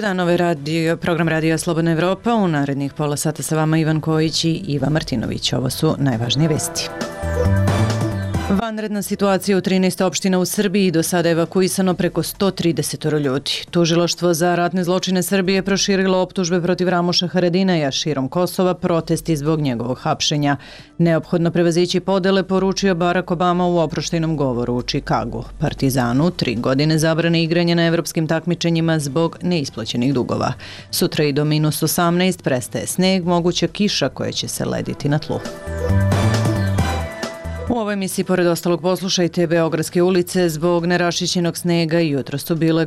dan, program Radija Slobodna Evropa. U narednih pola sata sa vama Ivan Kojić i Iva Martinović. Ovo su najvažnije vesti. Vanredna situacija u 13 opština u Srbiji, do sada evakuisano preko 130 ljudi. Tužilaštvo za ratne zločine Srbije proširilo optužbe protiv Ramoša Haradinaja širom Kosova, protesti zbog njegovog hapšenja. Neophodno prevazići podele, poručio Barack Obama u oproštajnom govoru u Čikagu. Partizanu 3 godine zabrane igranja na evropskim takmičenjima zbog neisplaćenih dugova. Sutra i do -18 prestaje sneg, moguća kiša koja će se lediti na tlu. U ovoj emisiji, pored ostalog, poslušajte: Beogradske ulice zbog neraščišćenog snega i jutro su bile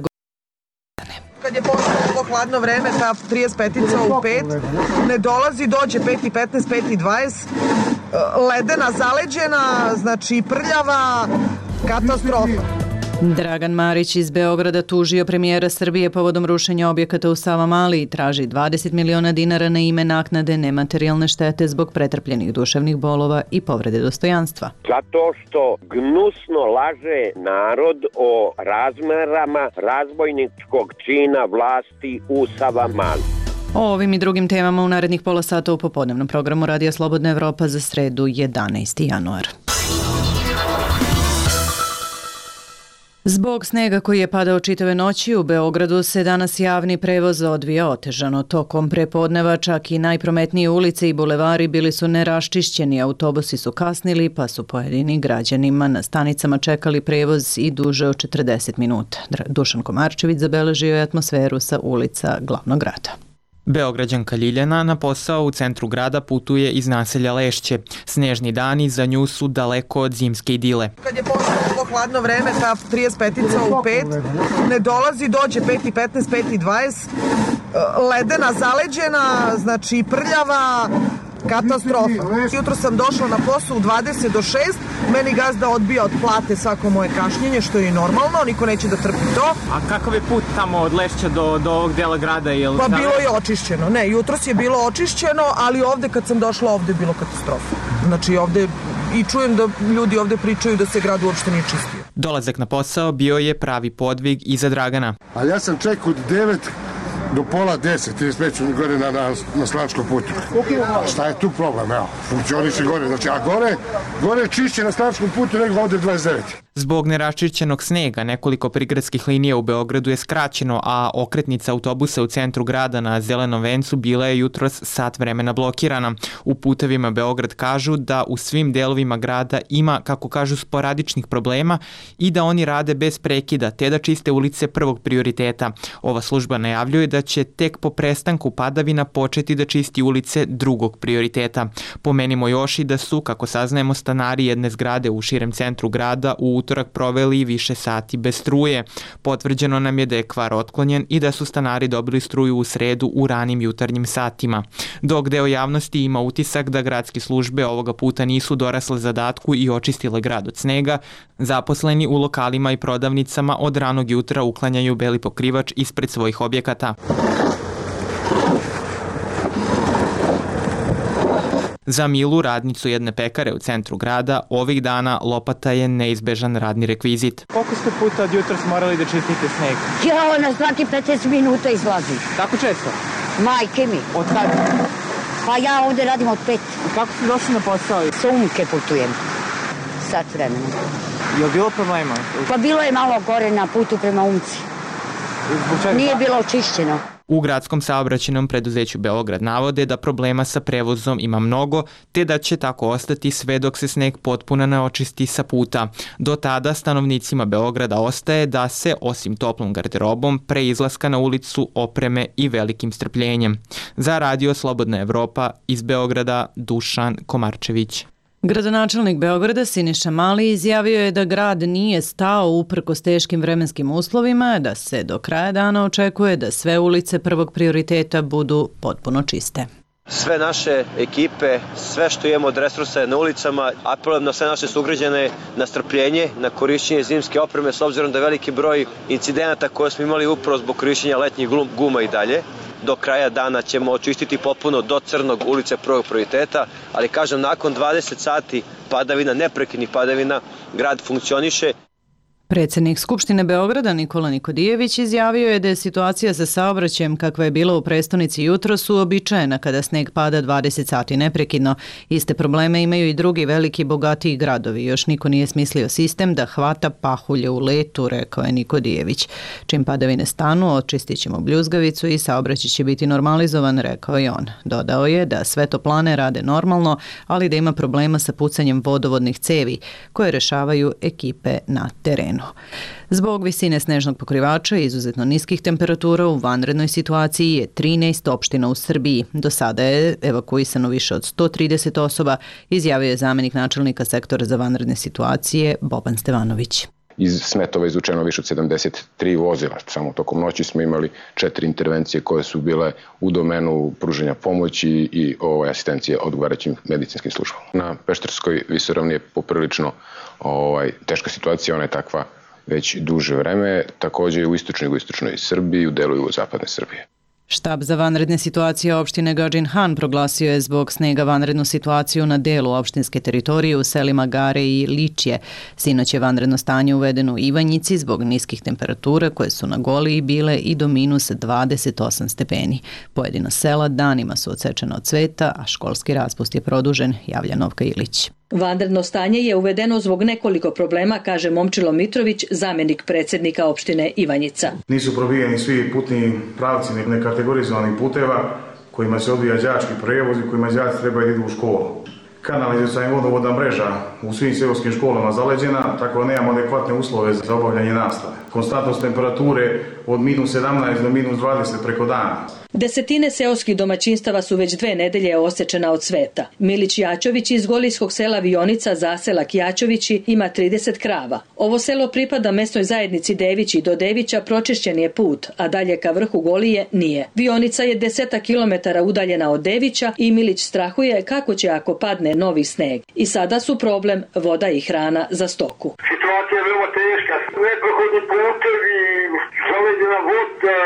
Kad je počelo ovo hladno vreme, ta 35-ica u 5 ne dolazi, dođe 5:15, 5:20, ledena, zaleđena, znači prljava, katastrofa. Dragan Marić iz Beograda tužio premijera Srbije povodom rušenja objekata u Savamali i traži 20 miliona dinara na ime naknade nematerijalne štete zbog pretrpljenih duševnih bolova i povrede dostojanstva. Zato što gnusno laže narod o razmerama razbojničkog čina vlasti u Savamali. O ovim i drugim temama u narednih pola sata u popodnevnom programu Radija Slobodna Evropa za sredu 11. januar. Zbog snega koji je padao čitave noći, u Beogradu se danas javni prevoz odvija otežano. Tokom prepodneva čak i najprometnije ulice i bulevari bili su neraščišćeni, autobusi su kasnili, pa su pojedini građanima na stanicama čekali prevoz i duže od 40 minuta. Dušan Komarčević zabeležio je atmosferu sa ulica glavnog grada. Beograđanka Ljiljana na posao u centru grada putuje iz naselja Lešće. Snežni dani za nju su daleko od zimske idile. Kad je počelo ovo hladno vreme, ta 35-ica u 5 ne dolazi, dođe 5:15, 5:20, ledena, zaleđena, znači prljava, katastrofa. Jutro sam došla na posao u 20 do 6, meni gazda odbija od plate svako moje kašnjenje, što je i normalno, niko neće da trpi to. A kakav je put tamo od Lešća do ovog dela grada? Pa bilo je očišćeno, ne, jutros je bilo očišćeno, ali ovde kad sam došla, ovde je bilo katastrofa. Znači ovde, i čujem da ljudi ovde pričaju da se grad uopšte nije čistio. Dolazak na posao bio je pravi podvig i za Dragana. Ali ja sam čekao od 9 do pola 10, 35 gore na Slačkom putu. Šta je tu problem? Evo, funkcioniše gore. Znači, a gore je čišće na Slačkom putu nego ovde 29. Zbog neraščišćenog snega nekoliko prigradskih linija u Beogradu je skraćeno, a okretnica autobusa u centru grada na Zelenom vencu bila je jutros sat vremena blokirana. U Putevima Beograd kažu da u svim delovima grada ima, kako kažu, sporadičnih problema i da oni rade bez prekida, te da čiste ulice prvog prioriteta. Ova služba najavljuje da će tek po prestanku padavina početi da čisti ulice drugog prioriteta. Pomenimo još i da su, kako saznajemo, stanari jedne zgrade u širem centru grada u utorak proveli više sati bez struje. Potvrđeno nam je da je kvar otklonjen i da su stanari dobili struju u sredu u ranim jutarnjim satima. Dok deo javnosti ima utisak da gradske službe ovoga puta nisu dorasle zadatku i očistile grad od snega, zaposleni u lokalima i prodavnicama od ranog jutra uklanjaju beli pokrivač ispred svojih objekata. Za Milu, radnicu jedne pekare u centru grada, ovih dana lopata je neizbežan radni rekvizit. Koliko ste puta od jutra morali da čistite sneg? Ja, na svaki 15 minuta izlazi. Tako često? Majke mi. Od kada? Pa ja ovde radim od 5. Kako ste došli na posao? Sa Umke putujem. Sat vremena. Je li bilo problema? Pa bilo je malo gore na putu prema Umci. Nije bilo očišćeno. U gradskom saobraćajnom preduzeću Beograd navode da problema sa prevozom ima mnogo, te da će tako ostati sve dok se sneg potpuno ne očisti sa puta. Do tada stanovnicima Beograda ostaje da se, osim toplom garderobom, pre izlaska na ulicu opreme i velikim strpljenjem. Za Radio Slobodna Evropa iz Beograda, Dušan Komarčević. Gradonačelnik Beograda Siniša Mali izjavio je da grad nije stao uprkos teškim vremenskim uslovima, da se do kraja dana očekuje da sve ulice prvog prioriteta budu potpuno čiste. Sve naše ekipe, sve što imamo od resursa je na ulicama, apelujem na sve naše sugrađane na strpljenje, na korišćenje zimske opreme, s obzirom da je veliki broj incidenata koje smo imali upravo zbog korišćenja letnjih guma i dalje. Do kraja dana ćemo očistiti potpuno do crnog ulice prvog prioriteta, ali kažem, nakon 20 sati padavina, neprekidnih padavina, grad funkcioniše. Predsjednik Skupštine Beograda Nikola Nikodijević izjavio je da je situacija sa saobraćajem kakva je bila u prestonici jutros uobičajena kada sneg pada 20 sati neprekidno. Iste probleme imaju i drugi veliki bogatiji gradovi. Još niko nije smislio sistem da hvata pahulje u letu, rekao je Nikodijević. Čim padavine stanu, očistit ćemo bljuzgavicu i saobraćaj će biti normalizovan, rekao je on. Dodao je da sve toplane rade normalno, ali da ima problema sa pucanjem vodovodnih cevi koje rešavaju ekipe na terenu. Zbog visine snežnog pokrivača i izuzetno niskih temperatura u vanrednoj situaciji je 13 opština u Srbiji. Do sada je evakuisano više od 130 osoba, izjavio je zamenik načelnika sektora za vanredne situacije Boban Stevanović. Iz smetova izvučeno više od 73 vozila. Samo tokom noći smo imali 4 intervencije koje su bile u domenu pružanja pomoći i asistencije odgovarajućim medicinskim službama. Na Pešterskoj visoravni je poprilično teška situacija, ona je takva već duže vreme, također u istočnoj Srbiji, u delu jugozapadne Srbije. Štab za vanredne situacije opštine Gadžin Han proglasio je zbog snega vanrednu situaciju na delu opštinske teritorije u selima Gare i Ličje. Sinoć je vanredno stanje uvedeno u Ivanjici zbog niskih temperatura koje su na Goliji bile i do minus 28 stepeni. Pojedina sela danima su odsečena od cveta, a školski raspust je produžen, javlja Novka Ilić. Vanredno stanje je uvedeno zbog nekoliko problema, kaže Momčilo Mitrović, zamjenik predsjednika opštine Ivanjica. Nisu probijeni svi putni pravci nekategorizovanih puteva kojima se odvija đački prevoz i kojima đaci trebaju idu u školu. Kanalizacijska i vodovodna mreža u svim seoskim školama zaleđena, tako da nemamo adekvatne uslove za obavljanje nastave. Konstantnost temperature od minus 17 do minus 20 preko dana. Desetine seoskih domaćinstava su već 2 nedelje osečena od sveta. Milić Jačović iz golijskog sela Vionica, zaselak Jačovići, ima 30 krava. Ovo selo pripada mesnoj zajednici Devići. Do Devića pročišćen je put, a dalje ka vrhu Golije nije. Vionica je 10 kilometara udaljena od Devića i Milić strahuje kako će ako padne novi sneg. I sada su problem voda i hrana za stoku. Situacija je veoma teška. Neprohodni putevi, zaleđena voda,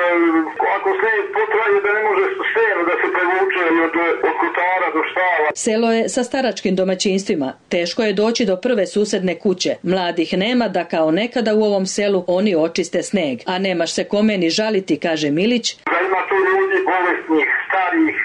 ako sneg potraje da ne može seno da se prevuče od kotara do štala. Selo je sa staračkim domaćinstvima. Teško je doći do prve susedne kuće. Mladih nema da kao nekada u ovom selu oni očiste sneg. A nemaš se kome ni žaliti, kaže Milić. Da ima tu ljudi bolesnih, starih,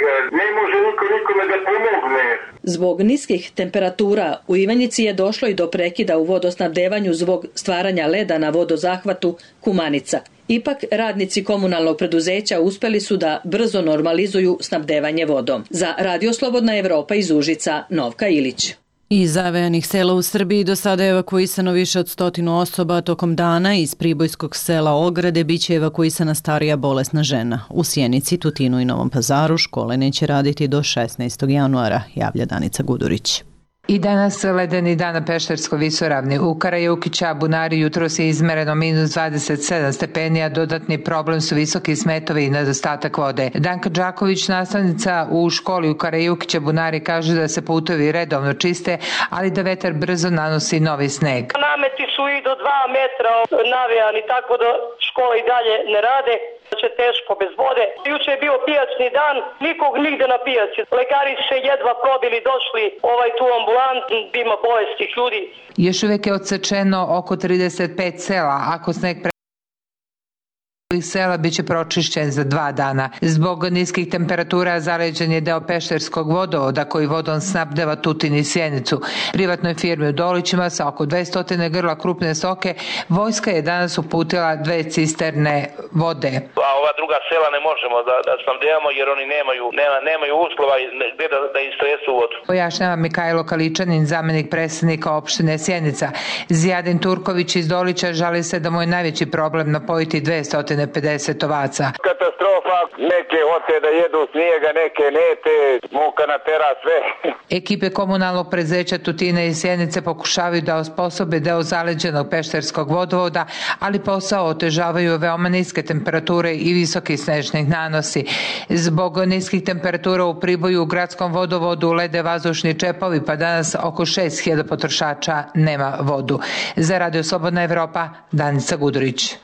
ne može niko nikome da pomogne. Zbog niskih temperatura u Ivanjici je došlo i do prekida u vodosnabdevanju zbog stvaranja leda na vodozahvatu Kumanica. Ipak radnici komunalnog preduzeća uspeli su da brzo normalizuju snabdevanje vodom. Za Radio Slobodna Evropa iz Užica, Novka Ilić. Iz zavejanih sela u Srbiji do sada je evakuisano više od 100 osoba. Tokom dana iz pribojskog sela Ograde biće evakuisana starija bolesna žena. U Sjenici, Tutinu i Novom Pazaru škole neće raditi do 16. januara, javlja Danica Gudurić. I danas ledeni dan na Pešterskoj visoravni. U Karajukića, Bunari, jutros je izmereno minus 27 stepeni, a dodatni problem su visoki smetovi i nedostatak vode. Danka Đaković, nastavnica u školi u Karajukića, Bunari, kaže da se putovi redovno čiste, ali da vetar brzo nanosi novi sneg. Nameti su i do 2 metra navijani, tako da škola i dalje ne rade. Će teško bez vode. Juče je bio pijačni dan, nikog nigde na pijaci. Lekari se jedva probili, došli tu ambulantu, ima bolestih ljudi. Još uvijek je odsečeno oko 35 sela, ako sneg sela biće pročišćen za 2 dana. Zbog niskih temperatura zaleđen je deo Pešterskog vodovoda koji vodom snabdeva Tutin i Sjenicu. Privatnoj firmi u Dolićima sa oko 200 grla krupne stoke vojska je danas uputila 2 cisterne vode. A ova druga sela ne možemo da snabdevamo jer oni nemaju uslova gde da istresu vodu. Pojašnjava Mikajlo Kaličanin, zamenik predsjednika opštine Sjenica. Zijadin Turković iz Dolića žali se da mu je najveći problem napojiti 250 ovaca. Katastrofa, neke hoće da jedu snijega, neke nete, muka natera sve. Ekipe komunalnog preduzeća Tutina i Sjenice pokušavaju da osposobe deo zaleđenog pešterskog vodovoda, ali posao otežavaju veoma niske temperature i visoki snežnih nanosi. Zbog niskih temperatura u Priboju u gradskom vodovodu lede vazdušni čepovi, pa danas oko 6000 potrošača nema vodu. Za Radio Slobodna Evropa, Danica Gudurić.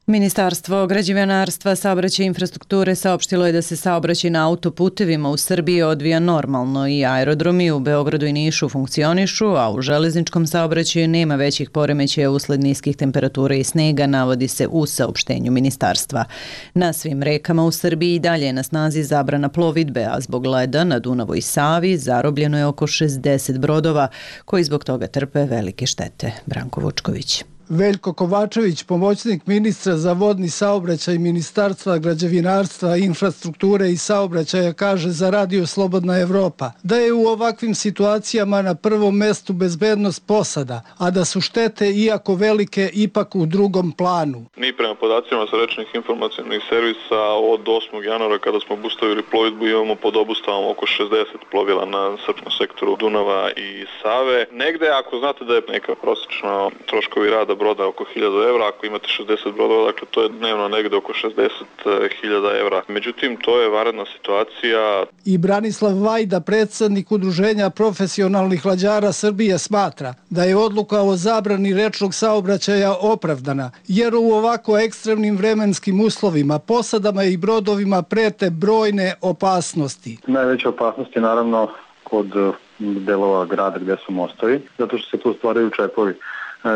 Ministarstvo građevinarstva, saobraćaja i infrastrukture saopštilo je da se saobraćaj na autoputevima u Srbiji odvija normalno i aerodromi u Beogradu i Nišu funkcionišu, a u železničkom saobraćaju nema većih poremećaja usled niskih temperatura i snega, navodi se u saopštenju ministarstva. Na svim rekama u Srbiji i dalje je na snazi zabrana plovidbe, a zbog leda na Dunavu i Savi zarobljeno je oko 60 brodova koji zbog toga trpe velike štete. Branko Vučković. Veljko Kovačević, pomoćnik ministra za vodni saobraćaj Ministarstva građevinarstva, infrastrukture i saobraćaja, kaže za Radio Slobodna Evropa da je u ovakvim situacijama na prvom mestu bezbednost posada, a da su štete, iako velike, ipak u drugom planu. Mi prema podacima sa rečnih informacionih servisa od 8. januara kada smo obustavili plovidbu imamo pod obustavom oko 60 plovila na srpskom sektoru Dunava i Save. Negde, ako znate da je neka prosječna troškovi rada broda oko 1000 evra, ako imate 60 brodova, dakle to je dnevno negde oko 60.000 evra. Međutim, to je vanredna situacija. I Branislav Vajda, predsjednik Udruženja profesionalnih lađara Srbije, smatra da je odluka o zabrani rečnog saobraćaja opravdana, jer u ovako ekstremnim vremenskim uslovima posadama i brodovima prete brojne opasnosti. Najveća opasnost je naravno kod delova grada gdje su mostovi, zato što se tu stvaraju čepovi.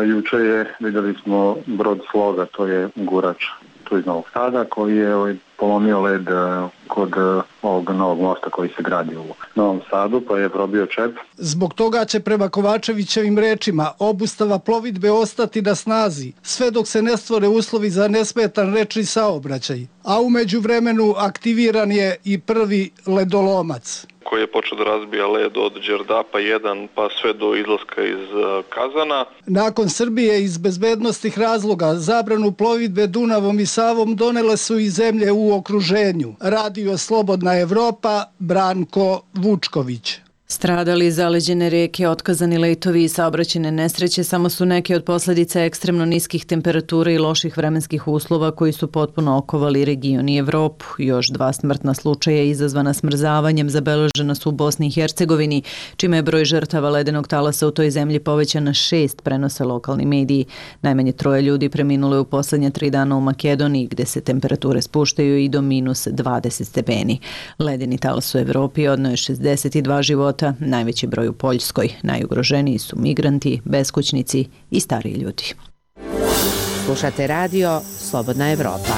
Juče vidjeli smo brod Sloga, to je gurač tu iz Novog Sada, koji je polomio led kod ovog novog mosta koji se gradi u Novom Sadu, pa je probio čep. Zbog toga će prema Kovačevićevim rečima obustava plovidbe ostati na snazi, sve dok se ne stvore uslovi za nesmetan rečni saobraćaj. A u međuvremenu aktiviran je i prvi ledolomac koji je počeo da razbija led od Đerdapa 1 pa sve do izlaska iz Kazana. Nakon Srbije iz bezbednostnih razloga zabranu plovidbe Dunavom i Savom donele su i zemlje u okruženju. Radio Slobodna Evropa, Branko Vučković. Stradali zaleđene reke, otkazani letovi i saobraćajne nesreće samo su neke od posljedica ekstremno niskih temperatura i loših vremenskih uslova koji su potpuno okovali region i Evropu. Još 2 smrtna slučaja izazvana smrzavanjem zabeležena su u Bosni i Hercegovini, čime je broj žrtava ledenog talasa u toj zemlji povećan na 6, prenose lokalni mediji. Najmanje 3 ljudi preminulo je u posljednje 3 dana u Makedoniji, gde se temperature spuštaju i do -20 stepeni. Ledeni talas u Evropi odneo je 62 života, najveći broj u Poljskoj. Najugroženiji su migranti, beskućnici i stariji ljudi. Slušate radio Slobodna Evropa.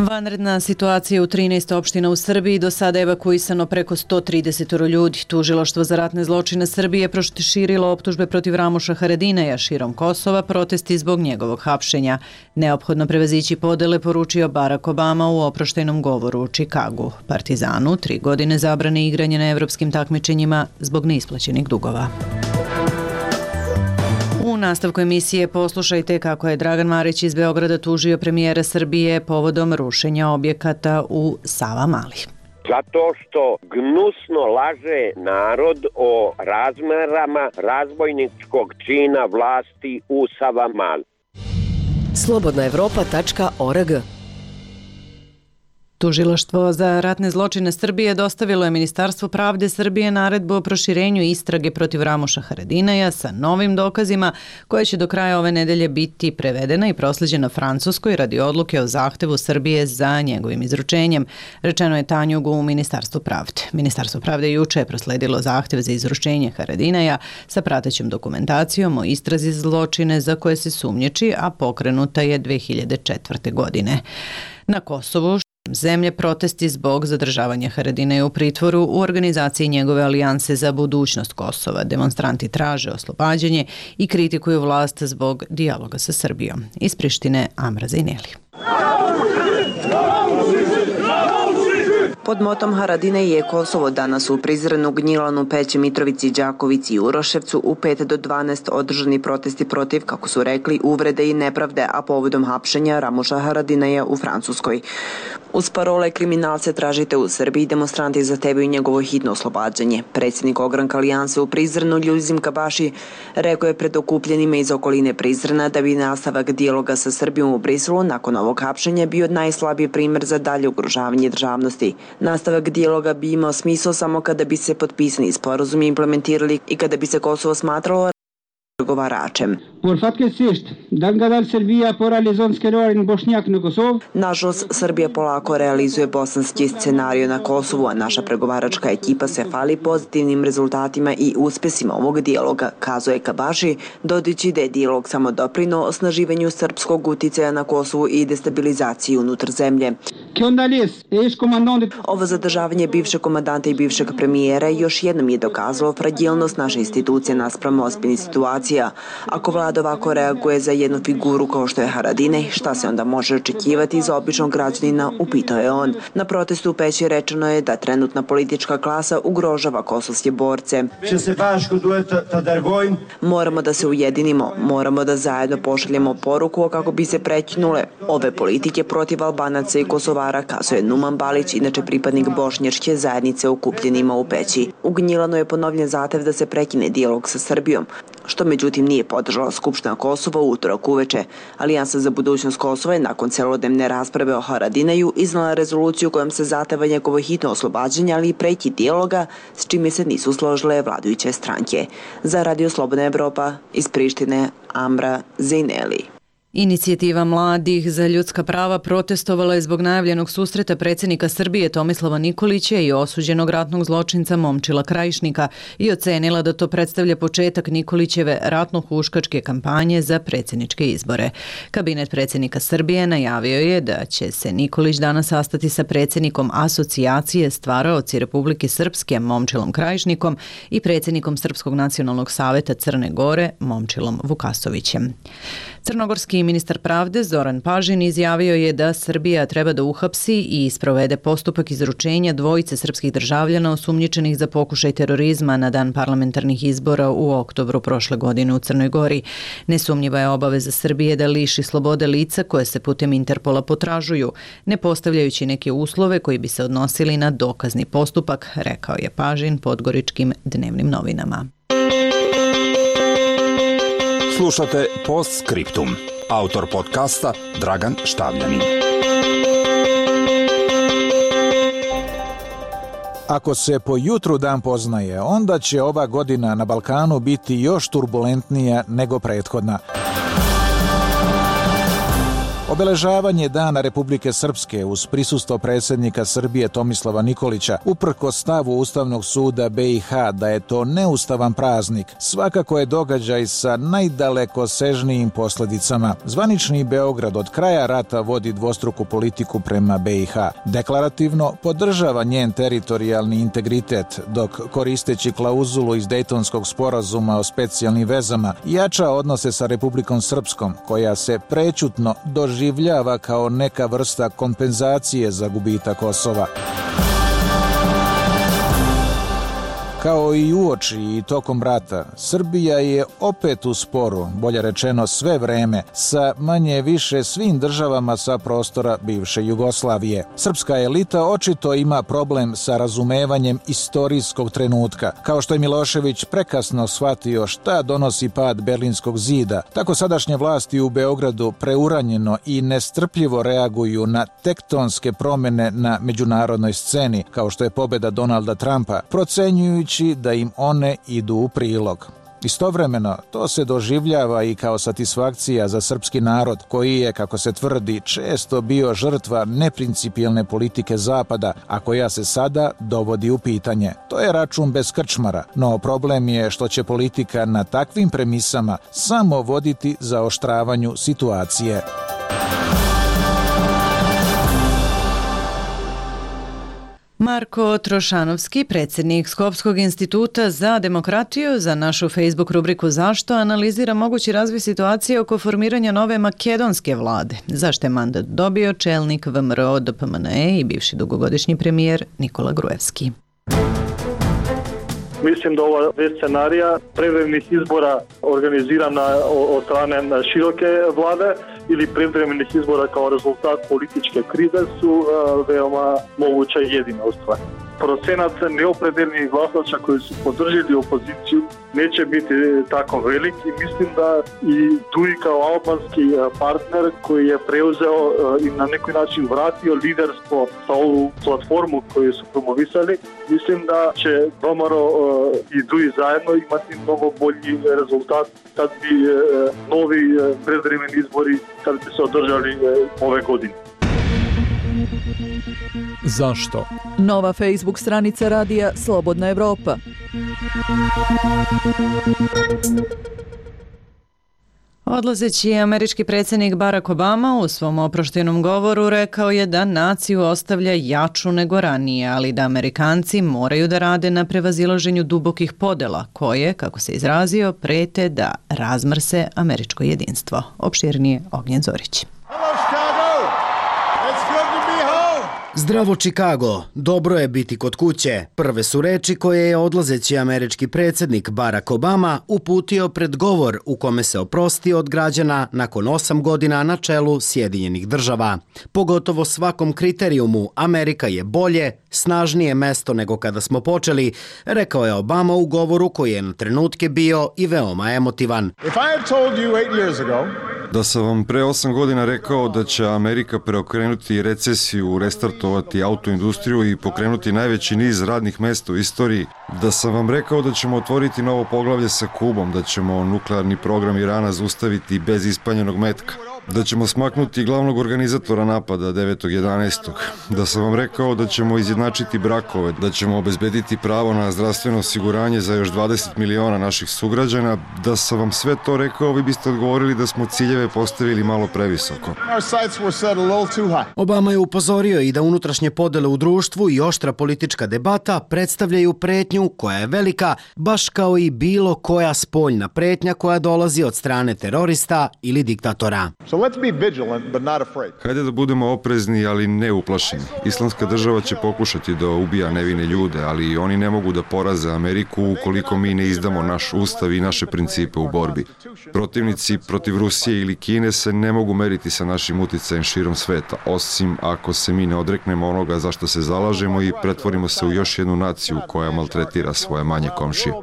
Vanredna situacija u 13 opština u Srbiji, do sada je evakuisano preko 130 ljudi. Tužilaštvo za ratne zločine Srbije proširilo optužbe protiv Ramuša Haradinaja širom Kosova, protesti zbog njegovog hapšenja. Neophodno prevazići podele, poručio Barack Obama u oproštajnom govoru u Čikagu. Partizanu 3 godine zabrane igranja na evropskim takmičenjima zbog neisplaćenih dugova. U nastavku emisije poslušajte kako je Dragan Marić iz Beograda tužio premijera Srbije povodom rušenja objekata u Savamali. Zato što gnusno laže narod o razmerama razbojničkog čina vlasti u Savamali. slobodnaevropa.org. Tužilaštvo za ratne zločine Srbije dostavilo je Ministarstvu pravde Srbije naredbu o proširenju istrage protiv Ramuša Haradinaja sa novim dokazima koje će do kraja ove nedelje biti prevedena i proslijeđena Francuskoj radi odluke o zahtevu Srbije za njegovim izručenjem, rečeno je Tanjugu u Ministarstvu pravde. Ministarstvo pravde juče je prosledilo zahtev za izručenje Haradinaja sa pratećom dokumentacijom o istrazi zločine za koje se sumnjiči, a pokrenuta je 2004. godine. Na Kosovu zemlje protesti zbog zadržavanja Haradinaja u pritvoru u organizaciji njegove alijanse za budućnost Kosova. Demonstranti traže oslobađanje i kritikuju vlast zbog dijaloga sa Srbijom. Iz Prištine, Amra Zajneli. Pod motom Haradinaj je Kosovo danas u Prizrenu, Gnjilanu, Peći, Mitrovici, Đakovici i Uroševcu u 5 do 12 održani protesti protiv, kako su rekli, uvrede i nepravde, a povodom hapšenja Ramuša Haradinaja u Francuskoj. Uz parole kriminalce tražite u Srbiji, demonstranti zahtevaju njegovo hitno oslobađanje. Predsjednik ogranka alijanse u Prizrenu, Ljuzim Kabaši, rekao je pred okupljenima iz okoline Prizrena da bi nastavak dijaloga sa Srbijom u Briselu nakon ovog hapšenja bio najslabiji primjer za dalje ugrožavanje državnosti. Nastavak dijaloga bi imao smisao samo kada bi se potpisani sporazumi implementirali i kada bi se Kosovo smatralo pregovaračem. Nažalost, Srbija polako realizuje bosanski scenario na Kosovu, a naša pregovaračka ekipa se hvali pozitivnim rezultatima i uspesima ovog dijaloga, kazuje Kabaši, dodajući da je dijalog samo doprinuo osnaživanju srpskog uticaja na Kosovu i destabilizaciji unutar zemlje. Ovo zadržavanje bivšeg komandanta i bivšeg premijera još jednom je dokazalo fragilnost naše institucije naspram ozbiljnih situacija. Ako vlada ovako reaguje za jednu figuru kao što je Haradinaj, šta se onda može očekivati za običnog građanina, upitao je on. Na protestu u Peći rečeno je da trenutna politička klasa ugrožava kosovske borce. Moramo da se ujedinimo, moramo da zajedno pošaljemo poruku kako bi se prekinule ove politike protiv Albanaca i Kosovara, kazuje Numan Balić, inače pripadnik bošnjačke zajednice okupljenima u Peći. U Gnjilanu je ponovljen zahtev da se prekine dijalog sa Srbijom, što međutim nije podržala Skupština Kosova u utorak uveče. Alijansa za budućnost Kosova je nakon celodnevne rasprave o Haradinaju iznala rezoluciju kojom se zahteva njegovo hitno oslobađanje, ali i prekid dijaloga, s čime se nisu složile vladajuće stranke. Za Radio Slobodna Evropa iz Prištine, Amra Zejneli. Inicijativa mladih za ljudska prava protestovala je zbog najavljenog susreta predsjednika Srbije Tomislava Nikolića i osuđenog ratnog zločinca Momčila Krajišnika i ocenila da to predstavlja početak Nikolićeve ratno-huškačke kampanje za predsjedničke izbore. Kabinet predsjednika Srbije najavio je da će se Nikolić danas sastati sa predsjednikom Asocijacije stvaraoci Republike Srpske Momčilom Krajišnikom i predsjednikom Srpskog nacionalnog saveta Crne Gore Momčilom Vukasovićem. Crnogorski ministar pravde Zoran Pažin izjavio je da Srbija treba da uhapsi i sprovede postupak izručenja dvojice srpskih državljana osumnjičenih za pokušaj terorizma na dan parlamentarnih izbora u oktobru prošle godine u Crnoj Gori. Nesumnjiva je obaveza Srbije da liši slobode lica koje se putem Interpola potražuju, ne postavljajući neke uslove koji bi se odnosili na dokazni postupak, rekao je Pažin Podgoričkim dnevnim novinama. Slušate Postscriptum. Autor podcasta Dragan Štavljanin. Ako se po jutru dan poznaje, onda će ova godina na Balkanu biti još turbulentnija nego prethodna. Obeležavanje Dana Republike Srpske uz prisustvo predsjednika Srbije Tomislava Nikolića, uprkos stavu Ustavnog suda BiH da je to neustavan praznik, svakako je događaj sa najdalekosežnijim posljedicama. Zvanični Beograd od kraja rata vodi dvostruku politiku prema BiH. Deklarativno podržava njen teritorijalni integritet, dok koristeći klauzulu iz Dejtonskog sporazuma o specijalnim vezama jača odnose sa Republikom Srpskom, koja se prećutno doživljava kao neka vrsta kompenzacije za gubitak Kosova. Kao i uoči i tokom rata, Srbija je opet u sporu, bolje rečeno sve vreme, sa manje više svim državama sa prostora bivše Jugoslavije. Srpska elita očito ima problem sa razumevanjem istorijskog trenutka. Kao što je Milošević prekasno shvatio šta donosi pad Berlinskog zida, tako sadašnje vlasti u Beogradu preuranjeno i nestrpljivo reaguju na tektonske promjene na međunarodnoj sceni, kao što je pobjeda Donalda Trumpa, procenjujući da im one idu u prilog. Istovremeno, to se doživljava i kao satisfakcija za srpski narod, koji je, kako se tvrdi, često bio žrtva neprincipijelne politike Zapada, a koja se sada dovodi u pitanje. To je račun bez krčmara, no problem je što će politika na takvim premisama samo voditi zaoštravanju situacije. Marko Trošanovski, predsjednik Skopskog instituta za demokratiju, za našu Facebook rubriku Zašto analizira mogući razvoj situacije oko formiranja nove makedonske vlade. Zašto je mandat dobio čelnik VMRO DPMNE i bivši dugogodišnji premijer Nikola Gruevski. Mislim da ova već scenarija prevremenih izbora organizirana od strane široke vlade ili prevremenih izbora kao rezultat političke krize su veoma moguća i jedina stvar. procenat neopredeljenih glasača koji su podržili opoziciju neće biti tako velik i mislim da i Duji kao albanski partner koji je preuzeo i na neki način vratio liderstvo sa ovu platformu koju su promovisali, mislim da će Domaro i Duji zajedno imati mnogo bolji rezultat kad bi novi predvremeni izbori kad bi se održali ove godine. Zašto? Nova Facebook stranica radija Slobodna Evropa. Odlazeći američki predsjednik Barack Obama u svom oproštajnom govoru rekao je da naciju ostavlja jaču nego ranije, ali da Amerikanci moraju da rade na prevazilaženju dubokih podela koje, kako se izrazio, prete da razmrse američko jedinstvo. Opširnije Ognjen Zorić. Zdravo Chicago, dobro je biti kod kuće. Prve su reči koje je odlazeći američki predsjednik Barack Obama uputio pred govor u kome se oprostio od građana nakon 8 godina na čelu Sjedinjenih država. Pogotovo svakom kriterijumu Amerika je bolje, snažnije mesto nego kada smo počeli, rekao je Obama u govoru koji je na trenutke bio i veoma emotivan. Da sam vam pre 8 godina rekao da će Amerika preokrenuti recesiju, restartovati autoindustriju i pokrenuti najveći niz radnih mesta u istoriji, da sam vam rekao da ćemo otvoriti novo poglavlje sa Kubom, da ćemo nuklearni program Irana zaustaviti bez ispaljenog metka, da ćemo smaknuti glavnog organizatora napada 9.11. Da sam vam rekao da ćemo izjednačiti brakove, da ćemo obezbediti pravo na zdravstveno osiguranje za još 20 miliona naših sugrađana, da sam vam sve to rekao, vi biste odgovorili da smo ciljeve postavili malo previsoko. Obama je upozorio i da unutrašnje podele u društvu i oštra politička debata predstavljaju pretnju koja je velika, baš kao i bilo koja spoljna pretnja koja dolazi od strane terorista ili diktatora. Hajde da budemo oprezni, ali ne uplašeni. Islamska država će pokušati da ubija nevine ljude, ali oni ne mogu da poraze Ameriku ukoliko mi ne izdamo naš ustav i naše principe u borbi. Protivnici protiv Rusije ili Kine se ne mogu meriti sa našim uticajem širom sveta, osim ako se mi ne odreknemo onoga za što se zalažemo i pretvorimo se u još jednu naciju koja maltretira svoje manje komšije.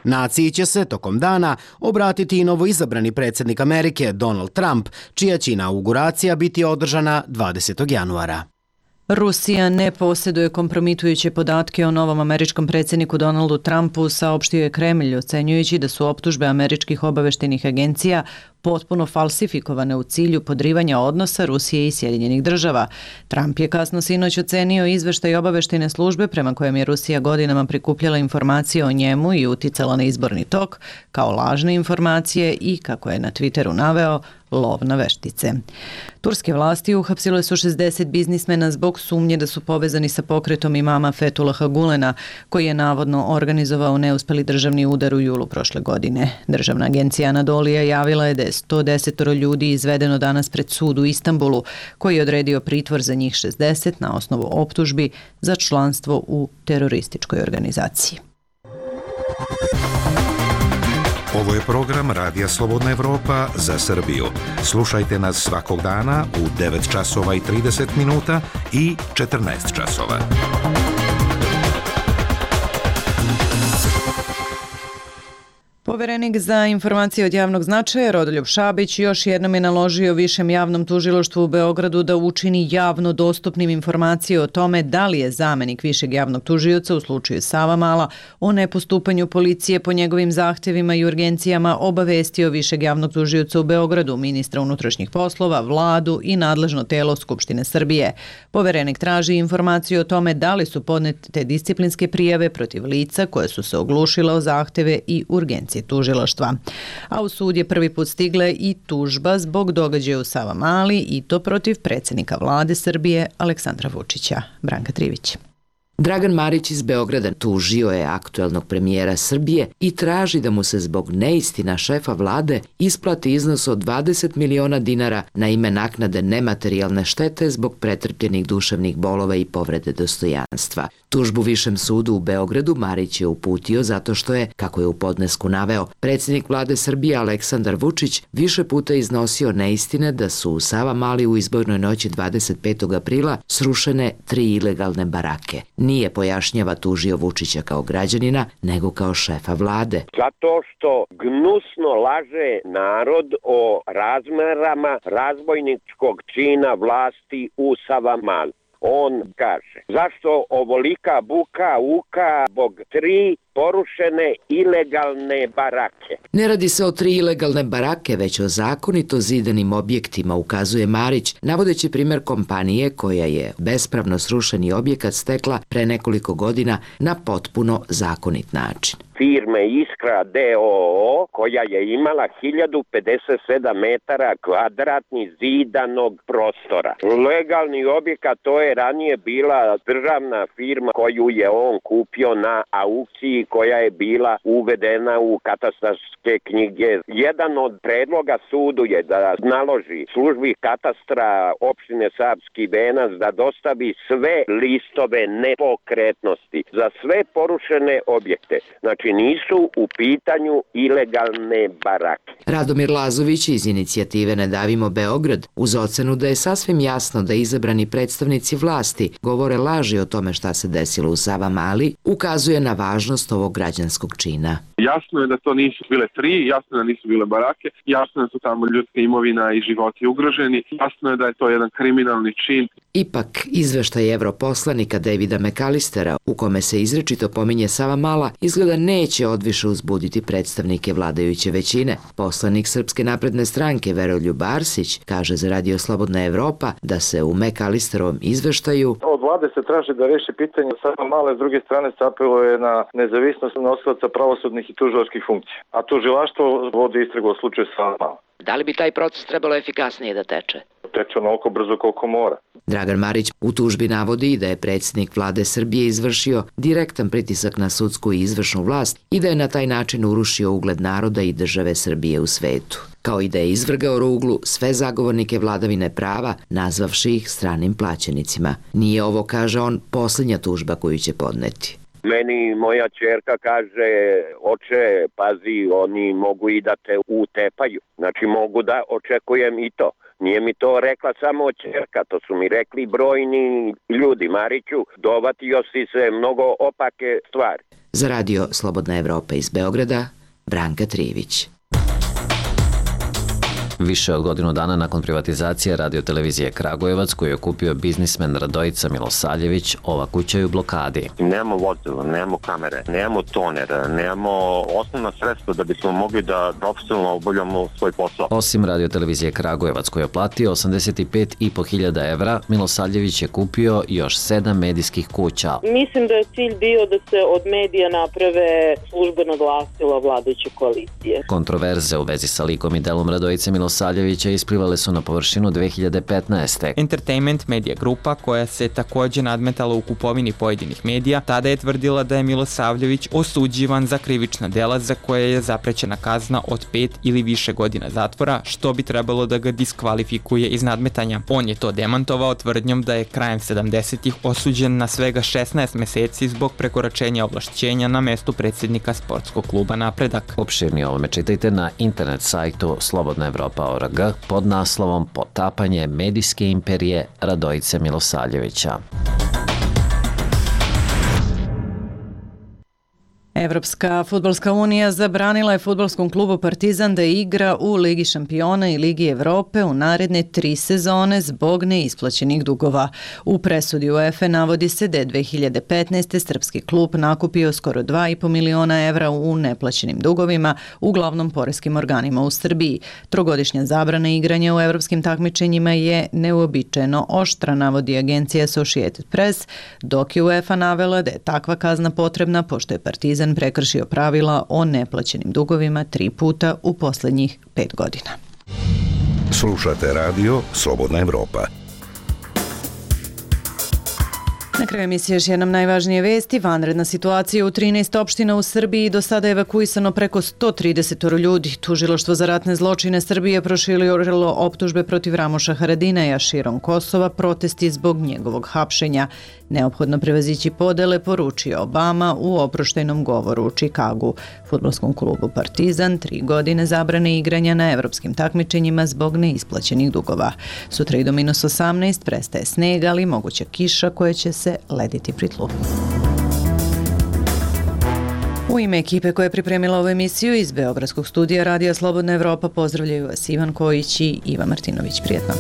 Naciji će se tokom dana obratiti i novoizabrani predsjednik Amerike Donald Trump, čija će inauguracija biti održana 20. januara. Rusija ne posjeduje kompromitujuće podatke o novom američkom predsjedniku Donaldu Trumpu, saopštio je Kremlj, ocenjujući da su optužbe američkih obaveštajnih agencija potpuno falsifikovane u cilju podrivanja odnosa Rusije i Sjedinjenih država. Trump je kasno sinoć ocenio izveštaj obaveštajne službe prema kojem je Rusija godinama prikupljala informacije o njemu i uticala na izborni tok kao lažne informacije i, kako je na Twitteru naveo, lov na veštice. Turske vlasti uhapsile su 60 biznismena zbog sumnje da su povezani sa pokretom imama Fethullaha Gulena, koji je navodno organizovao neuspeli državni udar u julu prošle godine. Državna agencija Anadolija javila je da je 110 ljudi izvedeno danas pred sud u Istanbulu, koji je odredio pritvor za njih 60 na osnovu optužbi za članstvo u terorističkoj organizaciji. Ovo je program Radija Slobodna Evropa za Srbiju. Slušajte nas svakog dana u 9 časova i 30 minuta i 14 časova. Poverenik za informacije od javnog značaja Rodoljub Šabić još jednom je naložio Višem javnom tužilaštvu u Beogradu da učini javno dostupnim informacije o tome da li je zamenik Višeg javnog tužioca u slučaju Savamala o nepostupanju policije po njegovim zahtevima i urgencijama obavestio Višeg javnog tužioca u Beogradu, ministra unutrašnjih poslova, vladu i nadležno telo Skupštine Srbije. Poverenik traži informaciju o tome da li su podnete disciplinske prijave protiv lica koje su se oglušila o zahteve i urgencije tužilaštva. A u sud je prvi put stigla i tužba zbog događaja u Savamali i to protiv predsjednika vlade Srbije Aleksandra Vučića. Branka Trivić. Dragan Marić iz Beograda tužio je aktuelnog premijera Srbije i traži da mu se zbog neistina šefa vlade isplati iznos od 20 miliona dinara na ime naknade nematerijalne štete zbog pretrpljenih duševnih bolova i povrede dostojanstva. Tužbu Višem sudu u Beogradu Marić je uputio zato što je, kako je u podnesku naveo, predsjednik vlade Srbije Aleksandar Vučić više puta iznosio neistine da su u Savamali u izbornoj noći 25. aprila srušene 3 ilegalne barake. Nije, pojašnjava, tužio Vučića kao građanina, nego kao šefa vlade. Zato što gnusno laže narod o razmerama razbojničkog čina vlasti u Savamali. On kaže, zašto ovolika buka uka zbog 3 porušene ilegalne barake? Ne radi se o 3 ilegalne barake, već o zakonito zidanim objektima, ukazuje Marić, navodeći primjer kompanije koja je bespravno srušeni objekat stekla pre nekoliko godina na potpuno zakonit način. Firme Iskra D.O.O. koja je imala 1057 metara kvadratnih zidanog prostora. Legalni objekat, to je ranije bila državna firma koju je on kupio na aukciji koja je bila uvedena u katastarske knjige. Jedan od predloga sudu je da naloži službi katastra opštine Savski Venac da dostavi sve listove nepokretnosti za sve porušene objekte. Znači nisu u pitanju ilegalne barake. Radomir Lazović iz inicijative Ne davimo Beograd, uz ocenu da je sasvim jasno da izabrani predstavnici vlasti govore laži o tome šta se desilo u Savamali, ukazuje na važnost ovog građanskog čina. Jasno je da to nisu bile 3, jasno je da nisu bile barake, jasno je da su tamo ljudska imovina i životi ugroženi, jasno je da je to jedan kriminalni čin. Ipak, izveštaj europoslanika Davida McAllistera, u kome se izričito pominje Savamala, izgleda neće odviše uzbuditi predstavnike vladajuće većine. Poslanik Srpske napredne stranke Veroljub Arsić kaže za Radio Slobodna Evropa da se u McAllisterovom izveštaju od vlade se traži da reši pitanje Savamale, s druge strane se apeluje na nezavisnost nosilaca pravosudnih i tužilačkih funkcija. A tužilaštvo vodi istragu o slučaju Savamala. Da li bi taj proces trebalo efikasnije da teče? Teče onoliko brzo koliko mora. Dragan Marić u tužbi navodi da je predsjednik vlade Srbije izvršio direktan pritisak na sudsku i izvršnu vlast i da je na taj način urušio ugled naroda i države Srbije u svetu, kao i da je izvrgao ruglu sve zagovornike vladavine prava, nazvavši ih stranim plaćenicima. Nije ovo, kaže on, posljednja tužba koju će podneti. Meni moja ćerka kaže, oče, pazi, oni mogu i da te utepaju. Znači mogu da očekujem i to. Nije mi to rekla samo ćerka, to su mi rekli brojni ljudi. Mariću, dovatio si se mnogo opake stvari. Za Radio Slobodna Evropa iz Beograda, Branka Trivić. Više od godinu dana nakon privatizacije radiotelevizije Kragujevac, koju je kupio biznismen Radojica Milosavljević, ova kuća je u blokadi. Nemamo vozilo, nemamo kamere, nemamo toner, nemamo osnovna sredstva da bismo mogli da profesionalno obavljamo svoj posao. Osim radiotelevizije Kragujevac, koju je platio 85.500 evra, Milosavljević je kupio još 7 medijskih kuća. Mislim da je cilj bio da se od medija naprave službeno glasilo vladajuće koalicije. Kontroverze u vezi sa likom i delom Radojice Milosavljevića isplivale su na površinu 2015. Entertainment Media grupa, koja se također nadmetala u kupovini pojedinih medija, tada je tvrdila da je Milosavljević osuđivan za krivična dela za koje je zaprećena kazna od 5 ili više godina zatvora, što bi trebalo da ga diskvalifikuje iz nadmetanja. On je to demantovao tvrdnjom da je krajem 70-ih osuđen na svega 16 meseci zbog prekoračenja ovlašćenja na mestu predsjednika sportskog kluba Napredak. Opširnije o ovome čitajte na internet sajtu slobodnaevropa.org pod naslovom Potapanje medijske imperije Radojice Milosavljevića. Evropska fudbalska unija zabranila je fudbalskom klubu Partizan da igra u Ligi šampiona i Ligi Evrope u naredne 3 sezone zbog neisplaćenih dugova. U presudi UEFA navodi se da je 2015. srpski klub nakupio skoro 2,5 miliona evra u neplaćenim dugovima, uglavnom poreskim organima u Srbiji. Trogodišnja zabrana igranja u evropskim takmičenjima je neuobičajeno oštra, navodi agencija Associated Press, dok je UEFA navela da je takva kazna potrebna pošto je Partizan prekršio pravila o neplaćenim dugovima 3 puta u posljednjih 5 godina. Slušate radio Slobodna Evropa. Na kraju emisije još jednom najvažnije vesti. Vanredna situacija u 13 opština u Srbiji, do sada je evakuisano preko 130 ljudi. Tužilaštvo za ratne zločine Srbije proširilo optužbe protiv Ramoša Haradinaja širom Kosova, protesti zbog njegovog hapšenja. Neophodno prevazići podele, poručio Obama u oproštajnom govoru u Čikagu. Fudbalskom klubu Partizan 3 godine zabrane igranja na evropskim takmičenjima zbog neisplaćenih dugova. Sutra i do -18 prestaje sneg, ali moguća kiša koja će se lediti pri tlu. U ime ekipe koja je pripremila ovu emisiju iz Beogradskog studija Radija Slobodna Evropa pozdravljaju vas Ivan Kojić i Iva Martinović. Prijetno.